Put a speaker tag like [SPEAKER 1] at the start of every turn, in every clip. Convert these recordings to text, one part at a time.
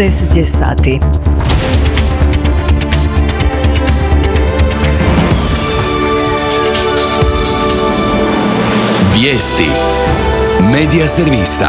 [SPEAKER 1] 10 je sati.
[SPEAKER 2] Vijesti Medija servisa.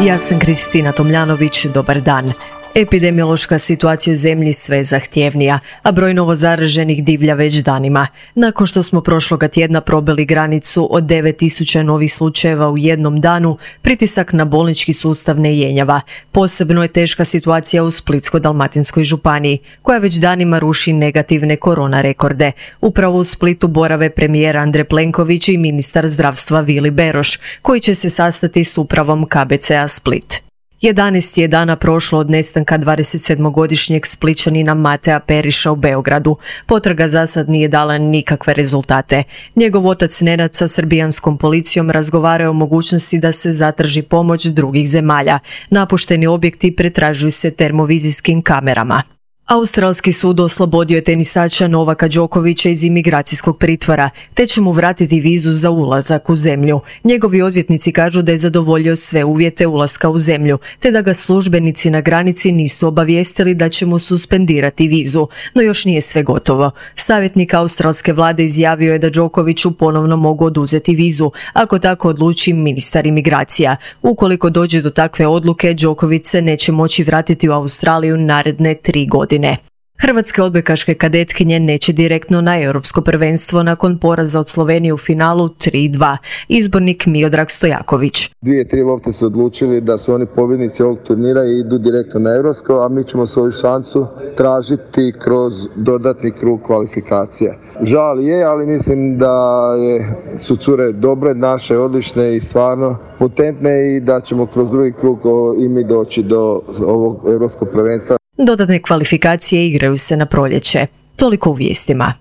[SPEAKER 1] Ja sam Kristina Tomljanović, dobar dan. Epidemiološka situacija u zemlji sve je zahtjevnija, a broj novozaraženih divlja već danima. Nakon što smo prošloga tjedna probili granicu od 9.000 novih slučajeva u jednom danu, pritisak na bolnički sustav ne jenjava. Posebno je teška situacija u Splitsko-dalmatinskoj županiji, koja već danima ruši negativne korona rekorde. Upravo u Splitu borave premijer Andrej Plenković i ministar zdravstva Vili Beroš, koji će se sastati s upravom KBC-a Split. 11 je dana prošlo od nestanka 27-godišnjeg Splićanina Matea Periša u Beogradu. Potraga zasad nije dala nikakve rezultate. Njegov otac Nenad sa srbijanskom policijom razgovarao o mogućnosti da se zatraži pomoć drugih zemalja. Napušteni objekti pretražuju se termovizijskim kamerama. Australski sud oslobodio je tenisača Novaka Đokovića iz imigracijskog pritvora, te će mu vratiti vizu za ulazak u zemlju. Njegovi odvjetnici kažu da je zadovoljio sve uvjete ulaska u zemlju, te da ga službenici na granici nisu obavijestili da će mu suspendirati vizu, no još nije sve gotovo. Savjetnik australske vlade izjavio je da Đokoviću ponovno mogu oduzeti vizu, ako tako odluči ministar imigracija. Ukoliko dođe do takve odluke, Đoković se neće moći vratiti u Australiju naredne 3 godine. Hrvatske odbojkaške kadetkinje neće direktno na europsko prvenstvo nakon poraza od Slovenije u finalu 3-2. Izbornik Miodrag Stojaković.
[SPEAKER 3] 2-3 lopte su odlučili da su oni pobjednici ovog turnira i idu direktno na europsko, a mi ćemo svoju šansu tražiti kroz dodatni krug kvalifikacija. Žal je, ali mislim da su cure dobre, naše odlične i stvarno potentne i da ćemo kroz drugi krug i mi doći do ovog europskog prvenstva.
[SPEAKER 1] Dodatne kvalifikacije igraju se na proljeće. Toliko u vijestima.